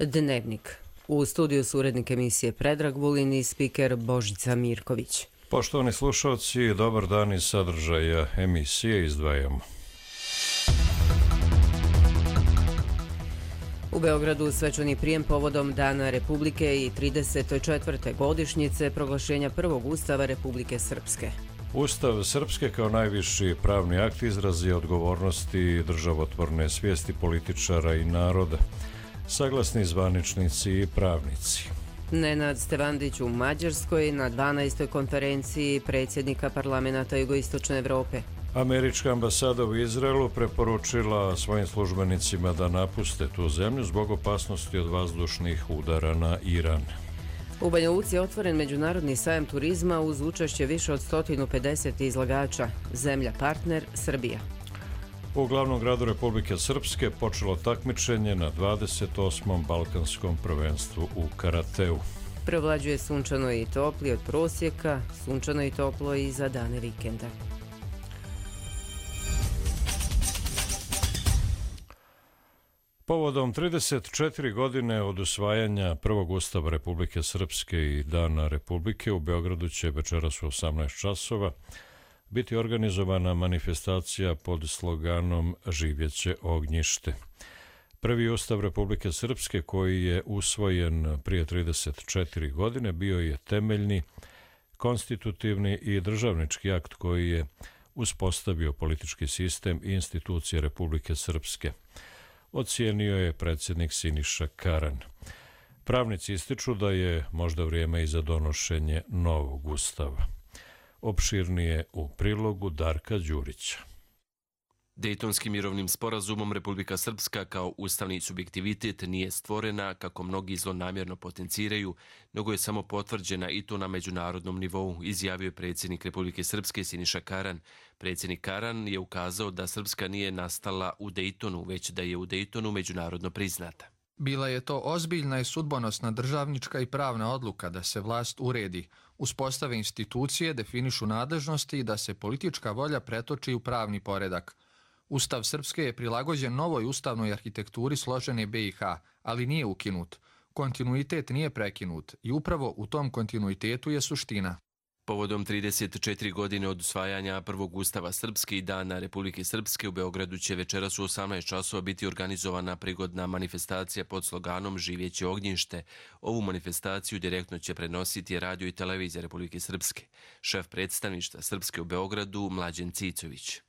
Dnevnik. U studiju su urednik emisije Predrag Vulin i spiker Božica Mirković. Poštovani slušalci, dobar dan iz sadržaja emisije izdvajamo. U Beogradu svečani prijem povodom Dana Republike i 34. godišnjice proglašenja prvog Ustava Republike Srpske. Ustav Srpske kao najviši pravni akt izraz je odgovornosti državotvorne svijesti političara i naroda, saglasni zvaničnici i pravnici. Nenad Stevandić u Mađarskoj na 12. konferenciji predsjednika parlamenta Jugoistočne Evrope. Američka ambasada u Izraelu preporučila svojim službenicima da napuste tu zemlju zbog opasnosti od vazdušnih udara na Iran. U Banja Luci je otvoren međunarodni sajam turizma uz učešće više od 150 izlagača. Zemlja partner Srbija. U glavnom gradu Republike Srpske počelo takmičenje na 28. balkanskom prvenstvu u karateu. Prevlađuje sunčano i topli od prosjeka, sunčano i toplo i za dane vikenda. Povodom 34 godine od usvajanja prvog Ustava Republike Srpske i Dana Republike u Beogradu će večeras u 18 časova biti organizovana manifestacija pod sloganom Živjeće ognjište. Prvi Ustav Republike Srpske koji je usvojen prije 34 godine bio je temeljni, konstitutivni i državnički akt koji je uspostavio politički sistem i institucije Republike Srpske. Ocijenio je predsjednik Siniša Karan. Pravnici ističu da je možda vrijeme i za donošenje novog ustava. Opširnije u prilogu Darka Đurića. Dejtonskim mirovnim sporazumom Republika Srpska kao ustavni subjektivitet nije stvorena, kako mnogi zlonamjerno potenciraju, nego je samo potvrđena i to na međunarodnom nivou, izjavio je predsjednik Republike Srpske Siniša Karan. Predsjednik Karan je ukazao da Srpska nije nastala u Dejtonu, već da je u Dejtonu međunarodno priznata. Bila je to ozbiljna i sudbonosna državnička i pravna odluka da se vlast uredi, uspostave institucije, definišu nadležnosti i da se politička volja pretoči u pravni poredak. Ustav Srpske je prilagođen novoj ustavnoj arhitekturi složene BiH, ali nije ukinut. Kontinuitet nije prekinut i upravo u tom kontinuitetu je suština. Povodom 34 godine od usvajanja prvog Ustava Srpske i Dana Republike Srpske u Beogradu će večeras u 18 časova biti organizovana prigodna manifestacija pod sloganom Živjeće ognjište. Ovu manifestaciju direktno će prenositi radio i televizija Republike Srpske. Šef predstavništva Srpske u Beogradu Mlađen Cicović.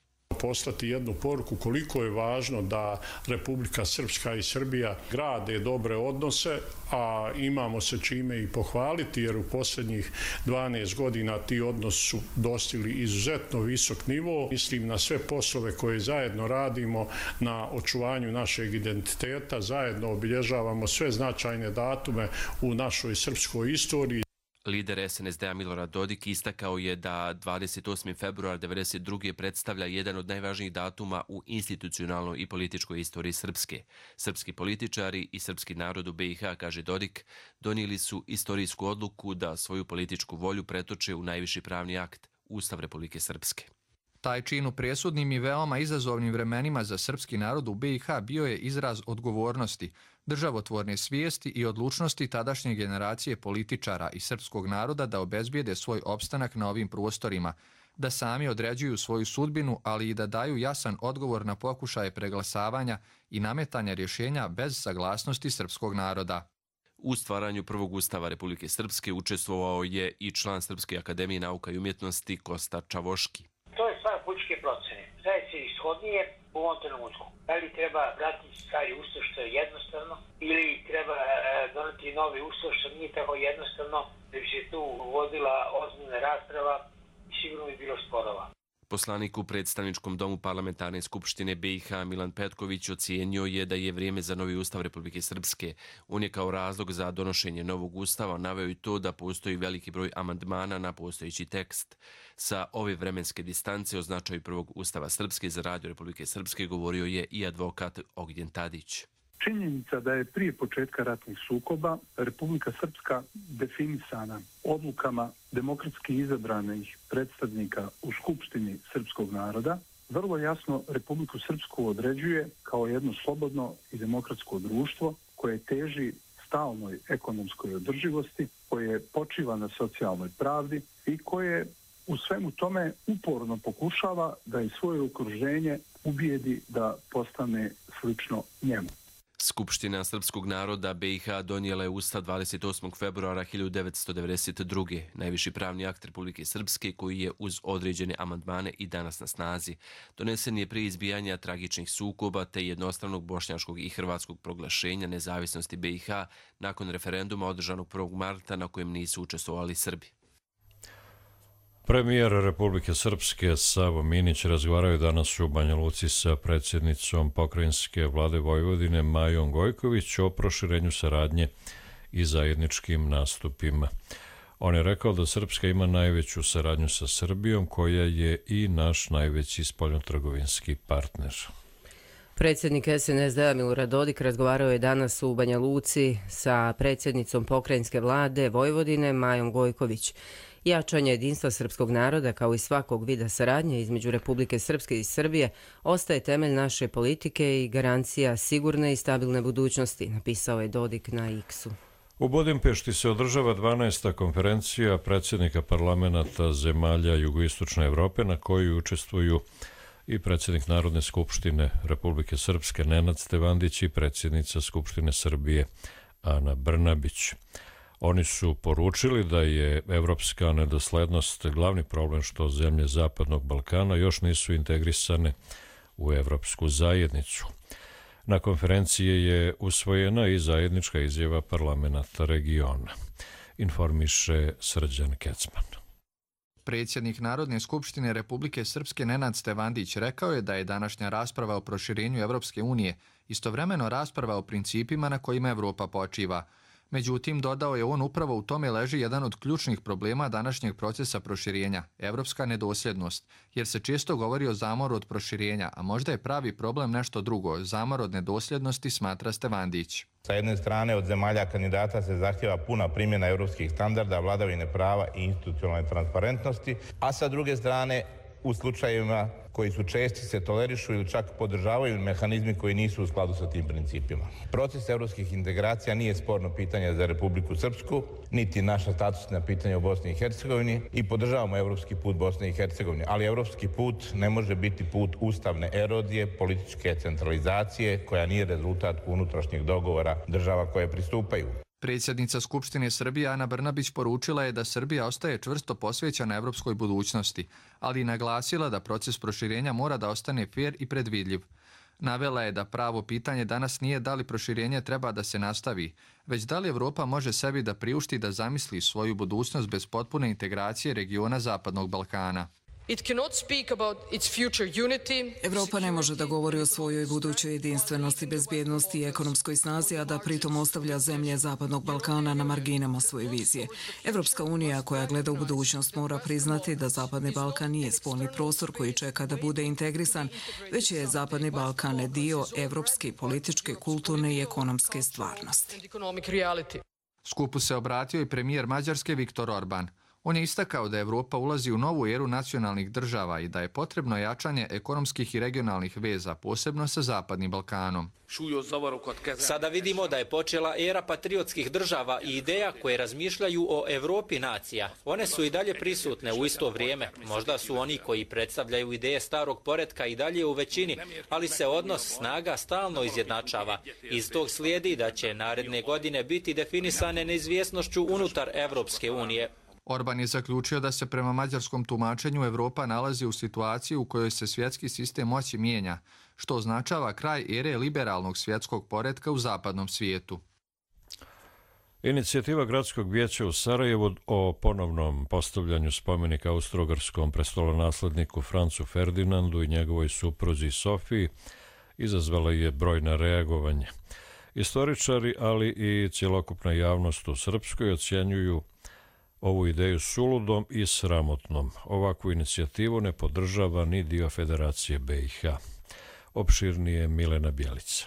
Poslati jednu poruku koliko je važno da Republika Srpska i Srbija grade dobre odnose, a imamo se čime i pohvaliti, jer u posljednjih 12 godina ti odnosi su dostigli izuzetno visok nivo. Mislim na sve poslove koje zajedno radimo na očuvanju našeg identiteta, zajedno obilježavamo sve značajne datume u našoj srpskoj istoriji. Lider SNSD-a Milorad Dodik istakao je da 28. februar 1992. predstavlja jedan od najvažnijih datuma u institucionalnoj i političkoj istoriji Srpske. Srpski političari i srpski narod u BiH, kaže Dodik, donijeli su istorijsku odluku da svoju političku volju pretoče u najviši pravni akt, Ustav Republike Srpske. Taj čin u presudnim i veoma izazovnim vremenima za srpski narod u BiH bio je izraz odgovornosti, državotvorne svijesti i odlučnosti tadašnje generacije političara i srpskog naroda da obezbijede svoj opstanak na ovim prostorima, da sami određuju svoju sudbinu, ali i da daju jasan odgovor na pokušaje preglasavanja i nametanja rješenja bez saglasnosti srpskog naroda. U stvaranju prvog Ustava Republike Srpske učestvovao je i član Srpske akademije nauka i umjetnosti Kosta Čavoški. To je stvar političke procene. Šta je se ishodnije u ovom trenutku? Da li treba vratiti stari ustav što je jednostavno ili treba doneti novi ustav što nije tako jednostavno, da bi se tu uvodila ozbiljna rasprava i sigurno bi bilo sporova. Poslanik u predstavničkom domu parlamentarne skupštine BiH Milan Petković ocijenio je da je vrijeme za novi ustav Republike Srpske. On je kao razlog za donošenje novog ustava naveo i to da postoji veliki broj amandmana na postojeći tekst. Sa ove vremenske distance o značaju prvog ustava Srpske za radio Republike Srpske govorio je i advokat Ognjen Tadić. Činjenica da je prije početka ratnih sukoba Republika Srpska definisana odlukama demokratski izabranih predstavnika u Skupštini srpskog naroda vrlo jasno Republiku Srpsku određuje kao jedno slobodno i demokratsko društvo koje teži stalnoj ekonomskoj održivosti, koje počiva na socijalnoj pravdi i koje u svemu tome uporno pokušava da i svoje okruženje ubijedi da postane slično njemu. Skupština srpskog naroda BiH donijela je Ustav 28. februara 1992. Najviši pravni akt Republike Srpske koji je uz određene amandmane i danas na snazi. Donesen je prije izbijanja tragičnih sukoba te jednostranog bošnjačkog i hrvatskog proglašenja nezavisnosti BiH nakon referenduma održanog 1. marta na kojem nisu učestvovali Srbi. Premijer Republike Srpske Savo Minić razgovarao je danas u Banja Luci sa predsjednicom pokrajinske vlade Vojvodine Majom Gojković o proširenju saradnje i zajedničkim nastupima. On je rekao da Srpska ima najveću saradnju sa Srbijom, koja je i naš najveći spoljnotrgovinski partner. Predsjednik SNSD-a Milorad Dodik razgovarao je danas u Banja Luci sa predsjednicom pokrajinske vlade Vojvodine Majom Gojković. Jačanje jedinstva srpskog naroda kao i svakog vida saradnje između Republike Srpske i Srbije ostaje temelj naše politike i garancija sigurne i stabilne budućnosti, napisao je Dodik na X-u. U Budimpešti se održava 12. konferencija predsjednika parlamenta zemalja jugoistočne Evrope na kojoj učestvuju i predsjednik Narodne skupštine Republike Srpske Nenad Stevandić i predsjednica Skupštine Srbije Ana Brnabić. Oni su poručili da je evropska nedoslednost glavni problem što zemlje Zapadnog Balkana još nisu integrisane u evropsku zajednicu. Na konferenciji je usvojena i zajednička izjava parlamenta regiona, informiše Srđan Kecman. Predsjednik Narodne skupštine Republike Srpske Nenad Stevandić rekao je da je današnja rasprava o proširenju Evropske unije istovremeno rasprava o principima na kojima Evropa počiva. Međutim, dodao je on, upravo u tome leži jedan od ključnih problema današnjeg procesa proširenja, evropska nedosljednost, jer se često govori o zamoru od proširenja, a možda je pravi problem nešto drugo, zamor od nedosljednosti, smatra Stevandić. Sa jedne strane od zemalja kandidata se zahtjeva puna primjena evropskih standarda, vladavine prava i institucionalne transparentnosti, a sa druge strane u slučajevima koji su česti se tolerišu ili čak podržavaju mehanizmi koji nisu u skladu sa tim principima. Proces evropskih integracija nije sporno pitanje za Republiku Srpsku, niti naša statusna pitanja u Bosni i Hercegovini i podržavamo evropski put Bosne i Hercegovine, ali evropski put ne može biti put ustavne erozije, političke centralizacije koja nije rezultat unutrašnjeg dogovora država koje pristupaju. Predsjednica Skupštine Srbije Ana Brnabić poručila je da Srbija ostaje čvrsto posvećena evropskoj budućnosti, ali i naglasila da proces proširenja mora da ostane fer i predvidljiv. Navela je da pravo pitanje danas nije da li proširenje treba da se nastavi, već da li Evropa može sebi da priušti da zamisli svoju budućnost bez potpune integracije regiona Zapadnog Balkana. Evropa ne može da govori o svojoj budućoj jedinstvenosti, bezbjednosti i ekonomskoj snazi, a da pritom ostavlja zemlje Zapadnog Balkana na marginama svoje vizije. Evropska unija koja gleda u budućnost mora priznati da Zapadni Balkan nije spoljni prostor koji čeka da bude integrisan, već je Zapadni Balkan dio evropske, političke, kulturne i ekonomske stvarnosti. Skupu se obratio i premijer Mađarske Viktor Orban. On je istakao da Evropa ulazi u novu eru nacionalnih država i da je potrebno jačanje ekonomskih i regionalnih veza, posebno sa Zapadnim Balkanom. Sada vidimo da je počela era patriotskih država i ideja koje razmišljaju o Evropi nacija. One su i dalje prisutne u isto vrijeme. Možda su oni koji predstavljaju ideje starog poretka i dalje u većini, ali se odnos snaga stalno izjednačava. Iz tog slijedi da će naredne godine biti definisane neizvjesnošću unutar Evropske unije. Orban je zaključio da se prema mađarskom tumačenju Evropa nalazi u situaciji u kojoj se svjetski sistem moći mijenja, što označava kraj ere liberalnog svjetskog poretka u zapadnom svijetu. Inicijativa Gradskog vijeća u Sarajevu o ponovnom postavljanju spomenika austro-ugarskom prestolonasledniku Francu Ferdinandu i njegovoj supruzi Sofiji izazvala je brojna reagovanja. Istoričari, ali i cjelokupna javnost u Srpskoj ocjenjuju ovu ideju suludom i sramotnom. Ovakvu inicijativu ne podržava ni dio Federacije BiH. Opširnije Milena Bjelica.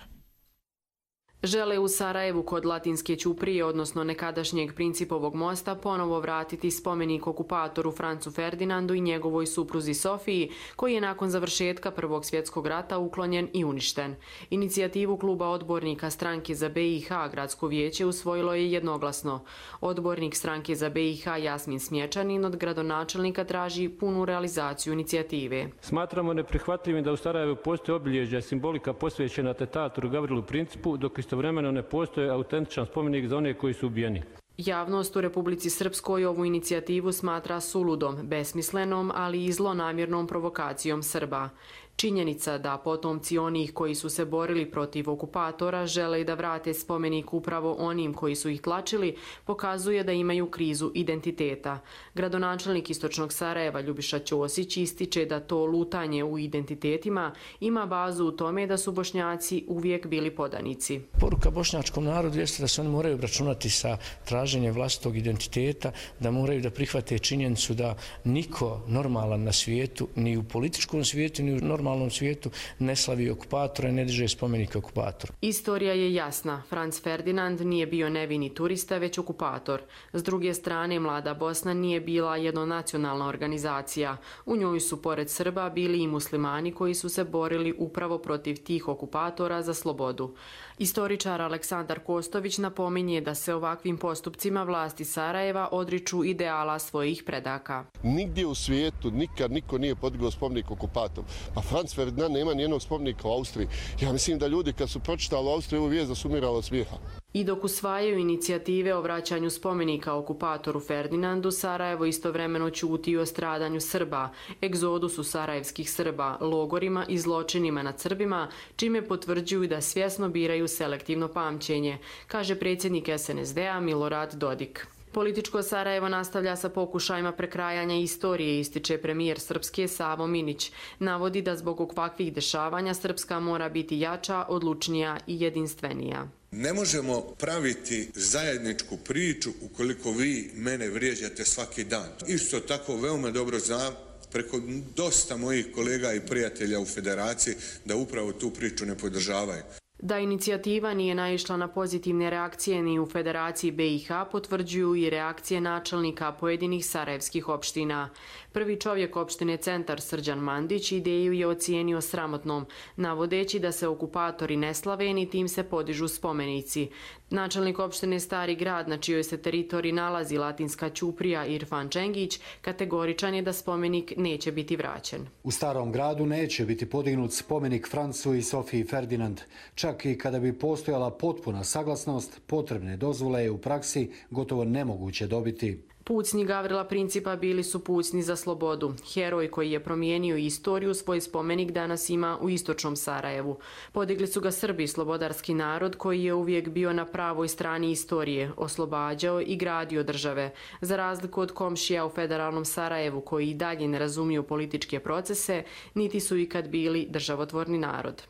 Žele u Sarajevu kod Latinske ćuprije, odnosno nekadašnjeg Principovog mosta, ponovo vratiti spomenik okupatoru Francu Ferdinandu i njegovoj supruzi Sofiji, koji je nakon završetka Prvog svjetskog rata uklonjen i uništen. Inicijativu kluba odbornika stranke za BiH gradsko vijeće usvojilo je jednoglasno. Odbornik stranke za BiH Jasmin Smječanin od gradonačelnika traži punu realizaciju inicijative. Smatramo neprihvatljivim da u Sarajevu postoje obilježja i simbolika posvećena atentatoru Gavrilu Principu, dok istovremeno ne postoji autentičan spomenik za one koji su ubijeni. Javnost u Republici Srpskoj ovu inicijativu smatra suludom, besmislenom, ali i zlonamjernom provokacijom Srba. Činjenica da potomci onih koji su se borili protiv okupatora žele da vrate spomenik upravo onim koji su ih tlačili, pokazuje da imaju krizu identiteta. Gradonačelnik Istočnog Sarajeva Ljubiša Ćosić ističe da to lutanje u identitetima ima bazu u tome da su Bošnjaci uvijek bili podanici. Poruka bošnjačkom narodu jeste da se oni moraju obračunati sa traženjem vlastitog identiteta, da moraju da prihvate činjenicu da niko normalan na svijetu, ni u političkom svijetu, ni u normalnom svijetu ne slavi okupatora i ne diže spomenike okupatoru. Istorija je jasna. Franz Ferdinand nije bio nevini turista, već okupator. S druge strane, Mlada Bosna nije bila jednonacionalna organizacija. U njoj su pored Srba bili i muslimani koji su se borili upravo protiv tih okupatora za slobodu. Istoričar Aleksandar Kostović napominje da se ovakvim postupcima vlasti Sarajeva odriču ideala svojih predaka. Nigdje u svijetu nikad niko nije podigao spomenik okupatoru. Pa Franz Ferdinand nema nijednog spomenika u Austriji. Ja mislim da ljudi kad su pročitali u Austriji ovu vijest da su umirali od smijeha. I dok usvajaju inicijative o vraćanju spomenika okupatoru Ferdinandu, Sarajevo istovremeno ćuti o stradanju Srba, egzodusu sarajevskih Srba, logorima i zločinima nad Srbima, čime potvrđuju da svjesno biraju selektivno pamćenje, kaže predsjednik SNSD-a Milorad Dodik. Političko Sarajevo nastavlja sa pokušajima prekrajanja istorije, ističe premijer Srpske Savo Minić. Navodi da zbog ovakvih dešavanja Srpska mora biti jača, odlučnija i jedinstvenija. Ne možemo praviti zajedničku priču ukoliko vi mene vrijeđate svaki dan. Isto tako veoma dobro znam preko dosta mojih kolega i prijatelja u federaciji da upravo tu priču ne podržavaju. Da inicijativa nije naišla na pozitivne reakcije ni u Federaciji BiH potvrđuju i reakcije načelnika pojedinih sarajevskih opština. Prvi čovjek opštine Centar Srđan Mandić ideju je ocijenio sramotnom, navodeći da se okupatori ne slave ni tim se podižu spomenici. Načelnik opštine Stari grad, na čijoj se teritoriji nalazi Latinska ćuprija Irfan Čengić, kategoričan je da spomenik neće biti vraćen. U Starom gradu neće biti podignut spomenik Francu i Sofiji Ferdinand. Čak i kada bi postojala potpuna saglasnost, potrebne dozvole je u praksi gotovo nemoguće dobiti. Pucnji Gavrila Principa bili su pucnji za slobodu. Heroj koji je promijenio istoriju svoj spomenik danas ima u istočnom Sarajevu. Podigli su ga Srbi, slobodarski narod koji je uvijek bio na pravoj strani istorije, oslobađao i gradio države. Za razliku od komšija u federalnom Sarajevu koji i dalje ne razumiju političke procese, niti su ikad bili državotvorni narod.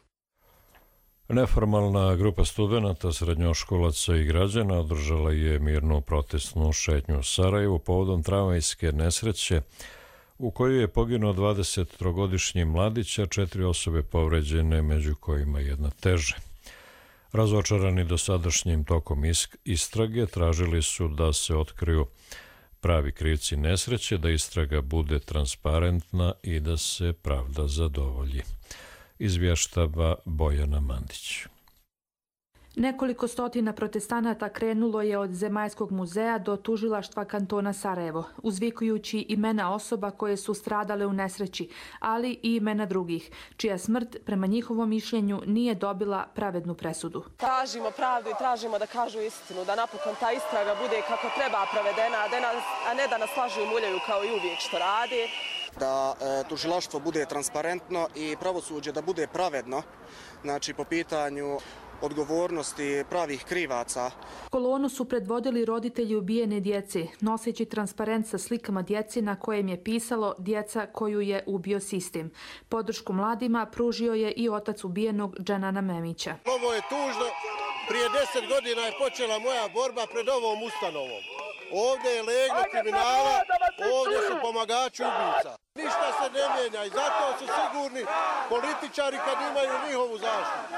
Neformalna grupa studenata, srednjoškolaca i građana održala je mirnu protestnu šetnju u Sarajevu povodom tramvajske nesreće u kojoj je poginuo 23-godišnji mladić, a 4 osobe povređene, među kojima jedna teže. Razočarani dosadašnjim tokom istrage, tražili su da se otkriju pravi krivci nesreće, da istraga bude transparentna i da se pravda zadovolji. Izvještava Bojana Mandić. Nekoliko stotina protestanata krenulo je od Zemaljskog muzeja do tužilaštva kantona Sarajevo, uzvikujući imena osoba koje su stradale u nesreći, ali i imena drugih, čija smrt, prema njihovom mišljenju, nije dobila pravednu presudu. Tražimo pravdu i tražimo da kažu istinu, da napokon ta istraga bude kako treba provedena, a ne da nas lažu i muljaju kao i uvijek što radi. Da tužilaštvo bude transparentno i pravosuđe da bude pravedno, znači po pitanju odgovornosti pravih krivaca. Kolonu su predvodili roditelji ubijene djece, noseći transparent sa slikama djece na kojem je pisalo "Djeca koju je ubio sistem". Podršku mladima pružio je i otac ubijenog Dženana Memića. Ovo je tužno. Prije 10 godina je počela moja borba pred ovom ustanovom. Ovdje je leglo kriminala, ovdje su pomagači ubica. Ništa se ne mijenja i zato su sigurni političari kad imaju njihovu zaštitu.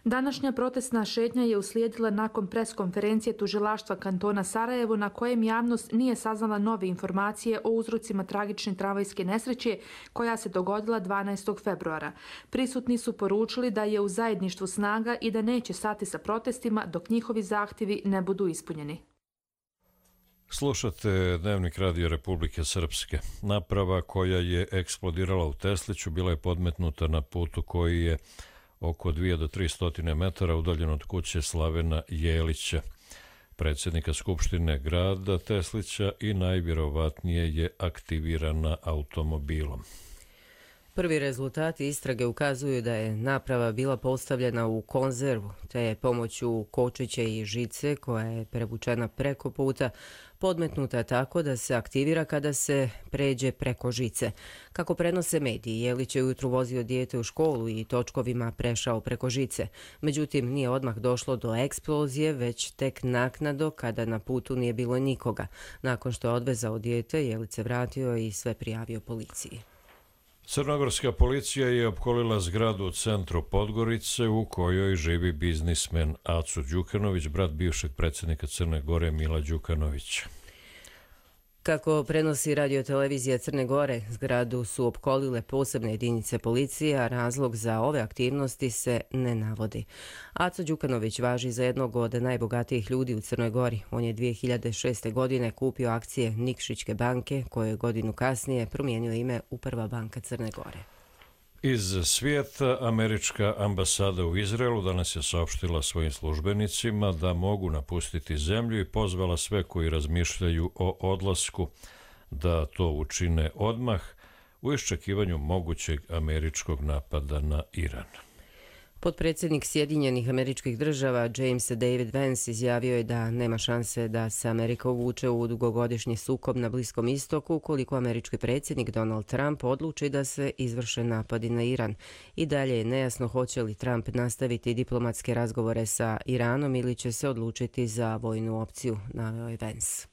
Današnja protestna šetnja je uslijedila nakon preskonferencije tužilaštva kantona Sarajevo na kojem javnost nije saznala nove informacije o uzrocima tragične tramvajske nesreće koja se dogodila 12. februara. Prisutni su poručili da je u zajedništvu snaga i da neće stati sa protestima dok njihovi zahtjevi ne budu ispunjeni. Slušate Dnevnik Radio Republike Srpske. Naprava koja je eksplodirala u Tesliću bila je podmetnuta na putu koji je oko 2 do 300 metara udaljen od kuće Slavena Jelića, predsjednika Skupštine grada Teslića, i najvjerovatnije je aktivirana automobilom. Prvi rezultati istrage ukazuju da je naprava bila postavljena u konzervu, te je pomoću kočiće i žice koja je prevučena preko puta podmetnuta tako da se aktivira kada se pređe preko žice. Kako prenose mediji, Jelić je ujutru vozio dijete u školu i točkovima prešao preko žice. Međutim, nije odmah došlo do eksplozije, već tek naknadno kada na putu nije bilo nikoga. Nakon što je odvezao dijete, Jelić se vratio i sve prijavio policiji. Crnogorska policija je opkolila zgradu u centru Podgorice u kojoj živi biznismen Aco Đukanović, brat bivšeg predsjednika Crne Gore Mila Đukanovića. Kako prenosi radiotelevizija Crne Gore, zgradu su opkolile posebne jedinice policije, a razlog za ove aktivnosti se ne navodi. Aco Đukanović važi za jednog od najbogatijih ljudi u Crnoj Gori. On je 2006. godine kupio akcije Nikšićke banke, koje je godinu kasnije promijenio ime u Prva banka Crne Gore. Iz svijeta, američka ambasada u Izraelu danas je saopštila svojim službenicima da mogu napustiti zemlju i pozvala sve koji razmišljaju o odlasku da to učine odmah u iščekivanju mogućeg američkog napada na Iran. Potpredsjednik Sjedinjenih Američkih Država James David Vance izjavio je da nema šanse da se Amerika uvuče u dugogodišnji sukob na Bliskom istoku ukoliko američki predsjednik Donald Trump odluči da se izvrše napadi na Iran. I dalje je nejasno hoće li Trump nastaviti diplomatske razgovore sa Iranom ili će se odlučiti za vojnu opciju, naveo je Vance.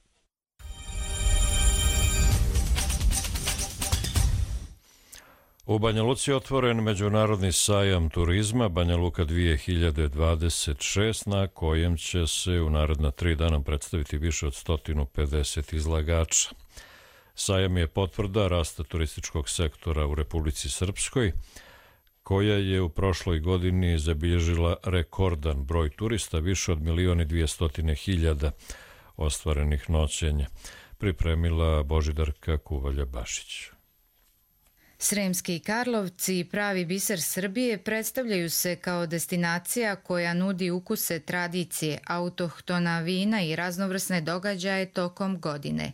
U Banja Luci je otvoren međunarodni sajam turizma Banja Luka 2026, na kojem će se u naredna 3 dana predstaviti više od 150 izlagača. Sajam je potvrda rasta turističkog sektora u Republici Srpskoj, koja je u prošloj godini zabilježila rekordan broj turista, više od 1.200.000 ostvarenih noćenja, pripremila Božidarka Kuvalja-Bašić. Sremski Karlovci, pravi biser Srbije, predstavljaju se kao destinacija koja nudi ukuse tradicije, autohtona vina i raznovrsne događaje tokom godine.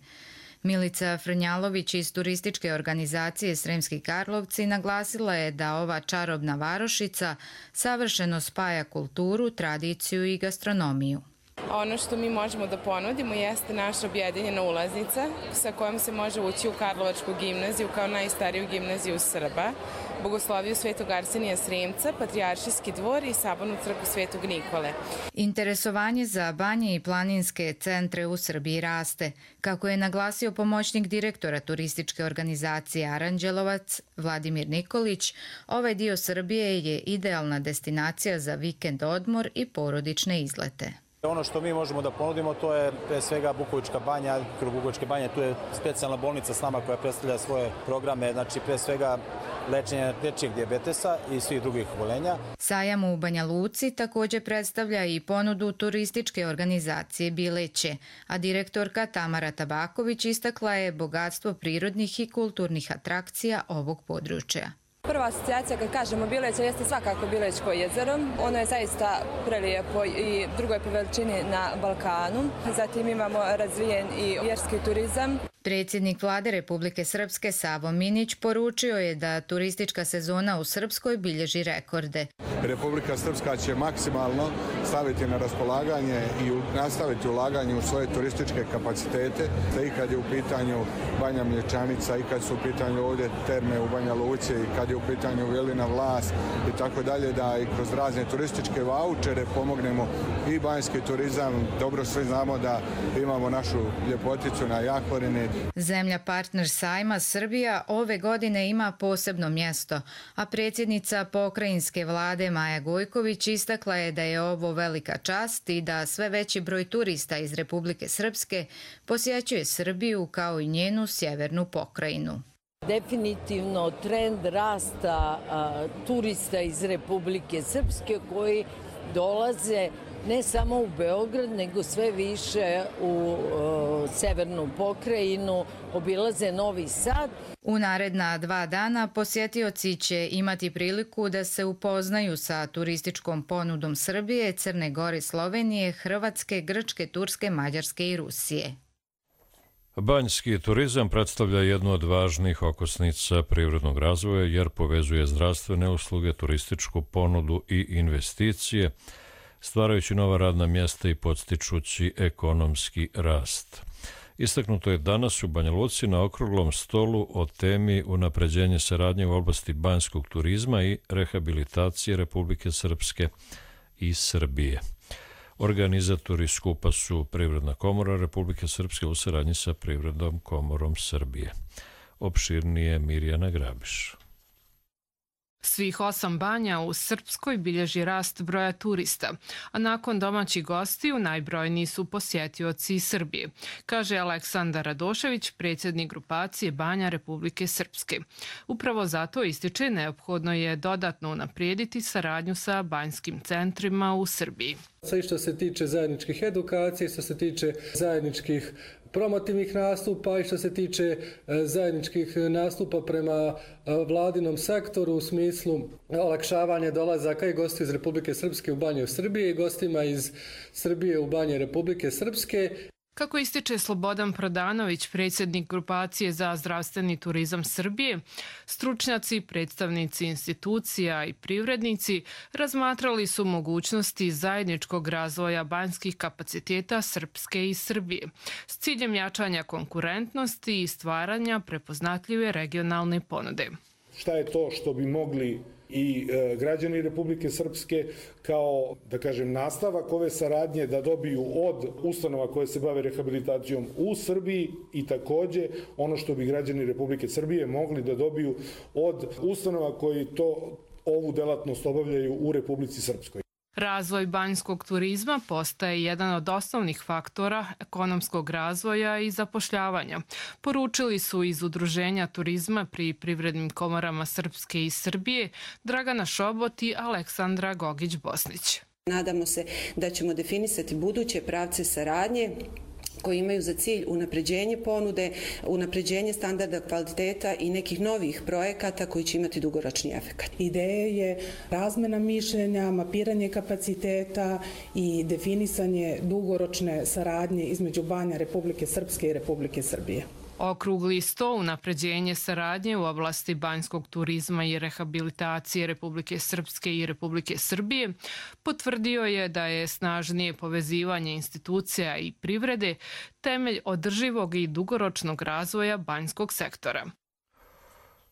Milica Frnjalović iz turističke organizacije Sremski Karlovci naglasila je da ova čarobna varošica savršeno spaja kulturu, tradiciju i gastronomiju. Ono što mi možemo da ponudimo jeste naša objedinjena ulaznica sa kojom se može ući u Karlovačku gimnaziju kao najstariju gimnaziju Srba, Bogosloviju Svetog Arsenija Sremca, Patrijaršijski dvor i Sabornu crkvu Svetog Nikole. Interesovanje za banje i planinske centre u Srbiji raste. Kako je naglasio pomoćnik direktora turističke organizacije Aranđelovac Vladimir Nikolić, ovaj dio Srbije je idealna destinacija za vikend odmor i porodične izlete. Ono što mi možemo da ponudimo, to je pre svega Bukovička banja. Kod Bukovičke banje tu je specijalna bolnica s nama koja predstavlja svoje programe, znači pre svega lečenje dečijeg dijabetesa i svih drugih obolenja. Sajam u Banja Luci također predstavlja i ponudu turističke organizacije Bileće, a direktorka Tamara Tabaković istakla je bogatstvo prirodnih i kulturnih atrakcija ovog područja. Prva asocijacija kad kažemo Bileće jeste svakako Bilećko jezero. Ono je zaista prelijepo i drugo je po veličini na Balkanu. Zatim imamo razvijen i vjerski turizam. Predsjednik Vlade Republike Srpske Savo Minić poručio je da turistička sezona u Srpskoj bilježi rekorde. Republika Srpska će maksimalno staviti na raspolaganje i nastaviti ulaganje u svoje turističke kapacitete, i kad je u pitanju Banja Mlječanica, i kad su u pitanju ovdje terme u Banja Luci, i kad je u pitanju Velina Vlas i tako dalje, da i kroz razne turističke vaučere pomognemo i banjski turizam. Dobro svi znamo da imamo našu ljepoticu na Jahorini, Zemlja partner sajma Srbija ove godine ima posebno mjesto, a predsjednica pokrajinske vlade Maja Gojković istakla je da je ovo velika čast i da sve veći broj turista iz Republike Srpske posjećuje Srbiju kao i njenu sjevernu pokrajinu. Definitivno trend rasta turista iz Republike Srpske koji dolaze ne samo u Beograd, nego sve više u severnu pokrajinu, obilaze Novi Sad. U naredna 2 dana posjetioci će imati priliku da se upoznaju sa turističkom ponudom Srbije, Crne Gore, Slovenije, Hrvatske, Grčke, Turske, Mađarske i Rusije. Banjski turizam predstavlja jednu od važnih okosnica privrednog razvoja jer povezuje zdravstvene usluge, turističku ponudu i investicije, stvarajući nova radna mjesta i podstičući ekonomski rast. Istaknuto je danas u Banja Luci na okruglom stolu o temi unapređenje saradnje u oblasti banjskog turizma i rehabilitacije Republike Srpske i Srbije. Organizatori skupa su Privredna komora Republike Srpske u saradnji sa Privrednom komorom Srbije. Opširnije Mirjana Grabiš. Svih 8 banja u Srpskoj bilježi rast broja turista, a nakon domaćih gostiju najbrojniji su posjetioci iz Srbije, kaže Aleksandar Radošević, predsjednik grupacije banja Republike Srpske. Upravo zato ističe neophodno je dodatno unaprijediti saradnju sa banjskim centrima u Srbiji. Sve što se tiče zajedničkih edukacija, što se tiče zajedničkih promotivnih nastupa i što se tiče zajedničkih nastupa prema vladinom sektoru u smislu olakšavanja dolazaka i gostiju iz Republike Srpske u banje u Srbiji i gostima iz Srbije u banje Republike Srpske. Kako ističe Slobodan Prodanović, predsjednik grupacije za zdravstveni turizam Srbije, stručnjaci, predstavnici institucija i privrednici razmatrali su mogućnosti zajedničkog razvoja banjskih kapaciteta Srpske i Srbije s ciljem jačanja konkurentnosti i stvaranja prepoznatljive regionalne ponude. Šta je to što bi mogli i građani Republike Srpske kao, da kažem, nastavak ove saradnje da dobiju od ustanova koje se bave rehabilitacijom u Srbiji i takođe ono što bi građani Republike Srbije mogli da dobiju od ustanova koji ovu delatnost obavljaju u Republici Srpskoj. Razvoj banjskog turizma postaje jedan od osnovnih faktora ekonomskog razvoja i zapošljavanja. Poručili su iz Udruženja turizma pri Privrednim komorama Srpske i Srbije Dragana Šobot i Aleksandra Gogić-Bosnić. Nadamo se da ćemo definisati buduće pravce saradnje koji imaju za cilj unapređenje ponude, unapređenje standarda kvaliteta i nekih novih projekata koji će imati dugoročni efekt. Ideja je razmena mišljenja, mapiranje kapaciteta i definisanje dugoročne saradnje između banja Republike Srpske i Republike Srbije. Okrugli sto unapređenje saradnje u oblasti banjskog turizma i rehabilitacije Republike Srpske i Republike Srbije potvrdio je da je snažnije povezivanje institucija i privrede temelj održivog i dugoročnog razvoja banjskog sektora.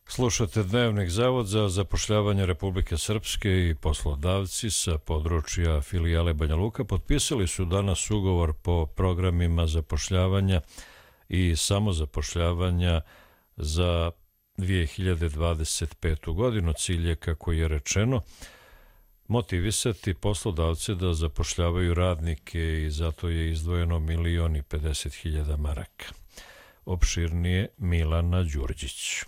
Slušate Dnevnik. Zavod za zapošljavanje Republike Srpske i poslodavci sa područja filijale Banja Luka potpisali su danas ugovor po programima zapošljavanja i samozapošljavanja za 2025. godinu. Cilj je, kako je rečeno, motivisati poslodavce da zapošljavaju radnike i zato je izdvojeno 1.050.000 maraka. Opširnije Milana Đurđić.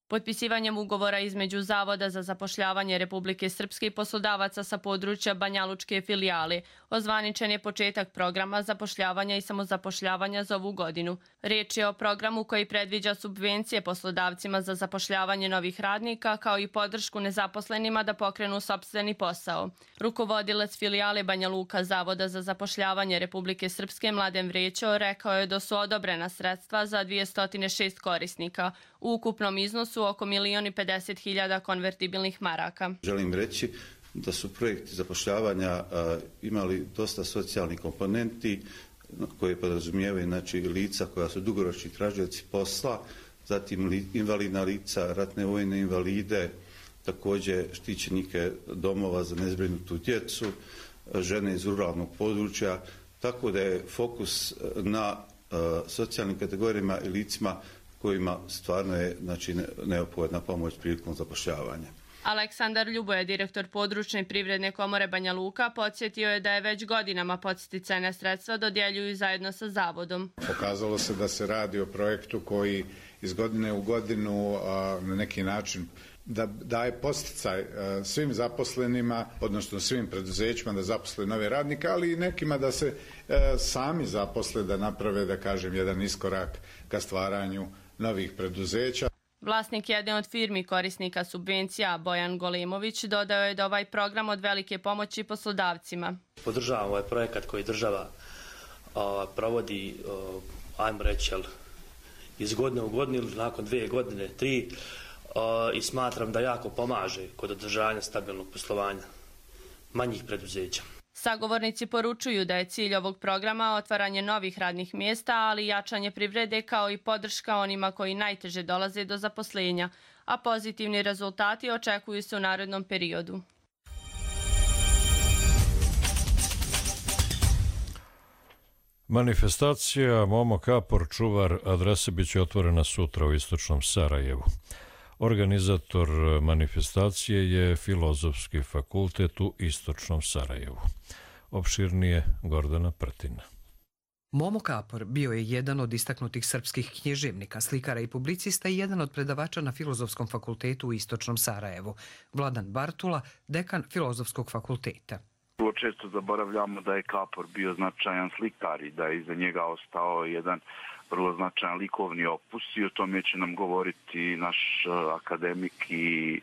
Potpisivanjem ugovora između Zavoda za zapošljavanje Republike Srpske i poslodavaca sa područja banjalučke filijale ozvaničen je početak programa zapošljavanja i samozapošljavanja za ovu godinu. Riječ je o programu koji predviđa subvencije poslodavcima za zapošljavanje novih radnika kao i podršku nezaposlenima da pokrenu sopstveni posao. Rukovodilac filijale Banja Luka Zavoda za zapošljavanje Republike Srpske Mladen Vrećo rekao je da su odobrena sredstva za 206 korisnika u ukupnom iznosu oko 1.050.000 konvertibilnih maraka. Želim reći da su projekti zapošljavanja imali dosta socijalnih komponenti koje podrazumijevaju lica koja su dugoročni tražioci posla, zatim invalidna lica, ratne vojne invalide, također štićenike domova za nezbrinutu djecu, žene iz ruralnog područja, tako da je fokus na socijalnim kategorijama i licima kojima stvarno je neophodna pomoć prilikom zapošljavanja. Aleksandar Ljuboje, direktor područne privredne komore Banja Luka, podsjetio je da je već godinama podsticajna sredstva dodjeljuju zajedno sa zavodom. Pokazalo se da se radi o projektu koji iz godine u godinu na neki način da daje podsticaj svim zaposlenima, odnosno svim preduzećima da zaposle nove radnike, ali i nekima da se sami zaposle, da naprave, da kažem, jedan iskorak ka stvaranju novih preduzeća. Vlasnik jedne od firmi korisnika subvencija, Bojan Golimović, dodao je da ovaj program od velike pomoći poslodavcima. Podržavam ovaj projekat koji država provodi, ajmo reći, iz godine u godinu ili nakon 2 godine, 3, i smatram da jako pomaže kod održavanja stabilnog poslovanja manjih preduzeća. Sagovornici poručuju da je cilj ovog programa otvaranje novih radnih mjesta, ali i jačanje privrede kao i podrška onima koji najteže dolaze do zaposlenja, a pozitivni rezultati očekuju se u narednom periodu. Manifestacija Momo Kapor, čuvar adrese, biće otvorena sutra u istočnom Sarajevu. Organizator manifestacije je Filozofski fakultet u istočnom Sarajevu. Opširnije Gordana Prtina. Momo Kapor bio je jedan od istaknutih srpskih književnika, slikara i publicista i jedan od predavača na Filozofskom fakultetu u istočnom Sarajevu. Vladan Bartula, dekan Filozofskog fakulteta. Vrlo često zaboravljamo da je Kapor bio značajan slikar i da je iza njega ostao jedan vrlo značajan likovni opus i o tome će nam govoriti naš akademik i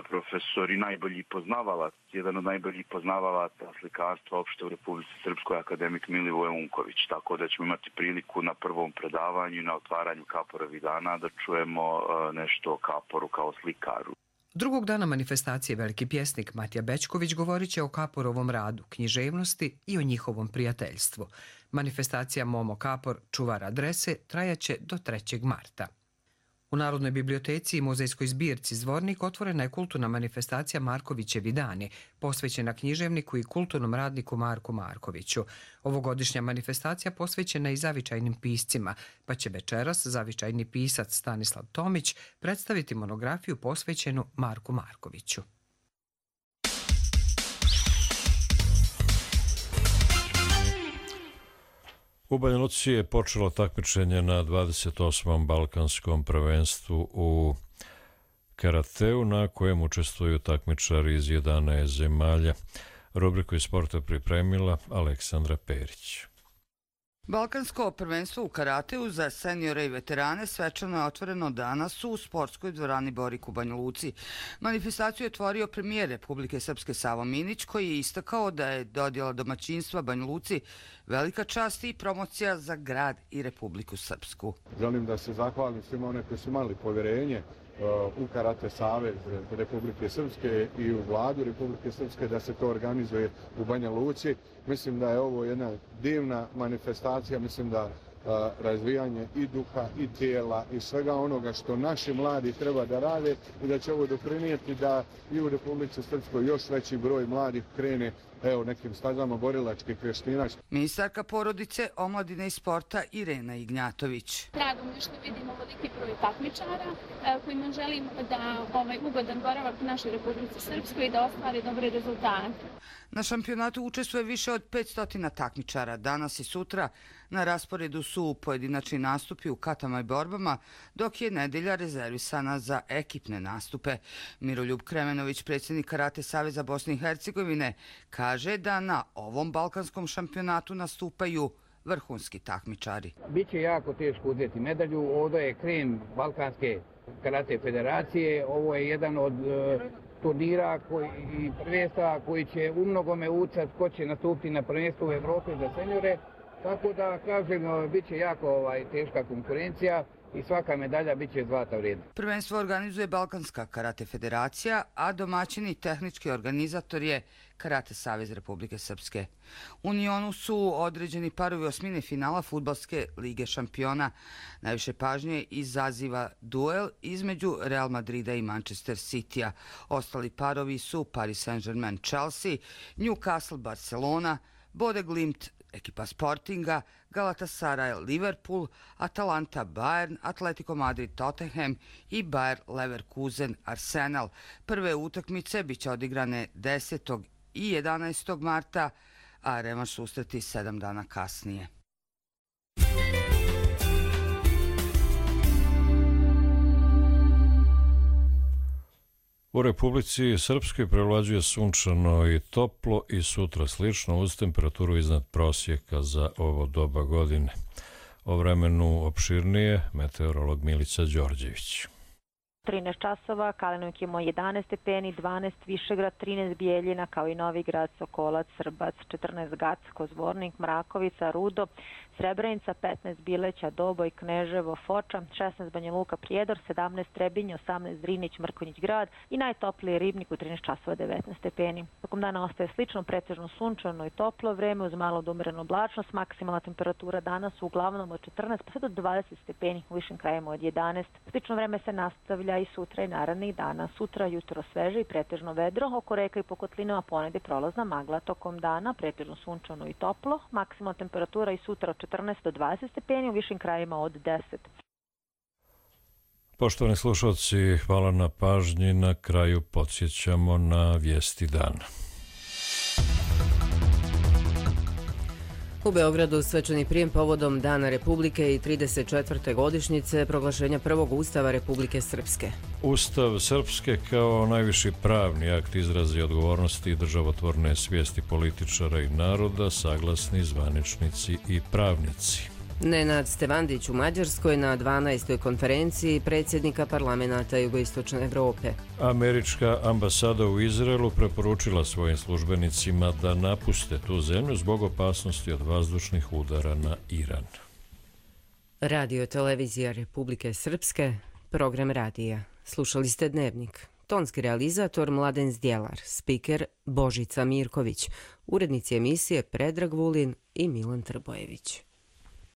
profesor i najbolji poznavalac, jedan od najboljih poznavalaca slikarstva opšte u Republici Srpskoj, akademik Milivoje Unković. Tako da ćemo imati priliku na prvom predavanju i na otvaranju Kaporovih dana da čujemo nešto o Kaporu kao slikaru. Drugog dana manifestacije veliki pjesnik Matija Bećković govorit će o Kaporovom radu, književnosti i o njihovom prijateljstvu. Manifestacija Momo Kapor, čuvar adrese, trajaće do 3. marta. U Narodnoj biblioteci i muzejskoj zbirci Zvornik otvorena je kulturna manifestacija Markovićevi dani, posvećena književniku i kulturnom radniku Marku Markoviću. Ovogodišnja manifestacija posvećena i zavičajnim piscima, pa će večeras zavičajni pisac Stanislav Tomić predstaviti monografiju posvećenu Marku Markoviću. U Banja Luci je počelo takmičenje na 28. balkanskom prvenstvu u karateu, na kojem učestvuju takmičari iz 11 zemalja. Rubriku iz sporta pripremila Aleksandra Perić. Balkansko prvenstvo u karateu za seniore i veterane svečano je otvoreno danas u sportskoj dvorani Borik u Banja Luci. Manifestaciju je otvorio premijer Republike Srpske Savo Minić, koji je istakao da je dodjela domaćinstva Banja Luci velika čast i promocija za grad i Republiku Srpsku. Želim da se zahvalim svima one koji su imali povjerenje u Karate Savez Republike Srpske i u vladu Republike Srpske da se to organizuje u Banja Luci. Mislim da je ovo jedna divna manifestacija, mislim da razvijanje i duha i tijela i svega onoga što naši mladi treba da rade i da će ovo doprinijeti da i u Republici Srpskoj još veći broj mladih krene nekim stazama borilačkih vještina. Ministarka porodice, omladine i sporta Irena Ignjatović. Drago mi je što vidimo veliki broj takmičara kojima želim da ugodan boravak u našoj Republici Srpskoj i da ostvare dobre rezultate. Na šampionatu učestvuje više od 500 takmičara. Danas i sutra na rasporedu su pojedinačni nastupi u katama i borbama, dok je nedelja rezervisana za ekipne nastupe. Miroljub Kremenović, predsjednik Karate Saveza Bosne i Hercegovine, kaže da na ovom balkanskom šampionatu nastupaju vrhunski takmičari. Biće jako teško uzeti medalju. Ovdje je krem Balkanske karate federacije. Ovo je jedan od turnira i prvenstva koji će u mnogome ucati ko će nastupiti na prvenstvu u Evropi za seniore. Tako da, kažem, bit će jako teška konkurencija i svaka medalja bit će zlata vrijedna. Prvenstvo organizuje Balkanska karate federacija, a domaćini tehnički organizator je Karate Savez Republike Srpske. U Unionu su određeni parovi osmine finala Fudbalske lige šampiona. Najviše pažnje izaziva duel između Real Madrida i Manchester Citya. Ostali parovi su Paris Saint-Germain Chelsea, Newcastle Barcelona, Bode Glimt Ekipa Sportinga, Galatasaray Liverpool, Atalanta Bayern, Atletico Madrid Tottenham i Bayer Leverkusen Arsenal. Prve utakmice biće odigrane 10. i 11. marta, a revanš susreti 7 dana kasnije. U Republici Srpskoj prevlađuje sunčano i toplo i sutra slično uz temperaturu iznad prosjeka za ovo doba godine. O vremenu opširnije meteorolog Milica Đorđević. 13 časova, Kalinovik imao 11 stepeni, 12 Višegrad, 13 Bijeljina, kao i Novi Grad, Sokolac, Srbac, 14 Gacko, Zvornik, Mrakovica, Rudo, Srebrenica, 15 Bileća, Doboj, Kneževo, Foča, 16 Banja Luka, Prijedor, 17 Trebinje, 18 Drinić, Mrkonjić Grad i najtopliji Ribnik u 13 časova 19 stepeni. Tokom dana ostaje slično, pretežno sunčano i toplo vreme uz malo odumerenu oblačnost. Maksimalna temperatura danas uglavnom od 14 pa sve do 20 stepeni, u višim krajevima od 11. Slično vreme se nastavlja i sutra i narednih dana. Sutra jutro sveže i pretežno vedro, oko reka i po kotlinama ponegde prolazna magla. Tokom dana pretežno sunčano i toplo, maksimalna temperatura i sutra od 14 do 20 stepeni, u višim krajevima od 10. Poštovani slušalci, hvala na pažnji. Na kraju podsjećamo na vijesti dana. U Beogradu svečani prijem povodom Dana Republike i 34. godišnjice proglašenja prvog Ustava Republike Srpske. Ustav Srpske kao najviši pravni akt izrazi odgovornosti i državotvorne svijesti političara i naroda, saglasni zvaničnici i pravnici. Nenad Stevandić u Mađarskoj na 12. konferenciji predsjednika parlamenta Jugoistočne Evrope. Američka ambasada u Izraelu preporučila svojim službenicima da napuste tu zemlju zbog opasnosti od vazdušnih udara na Iran. Radio Televizija Republike Srpske, program radija. Slušali ste Dnevnik. Tonski realizator Mladen Zdjelar, spiker Božica Mirković, urednici emisije Predrag Vulin i Milan Trbojević.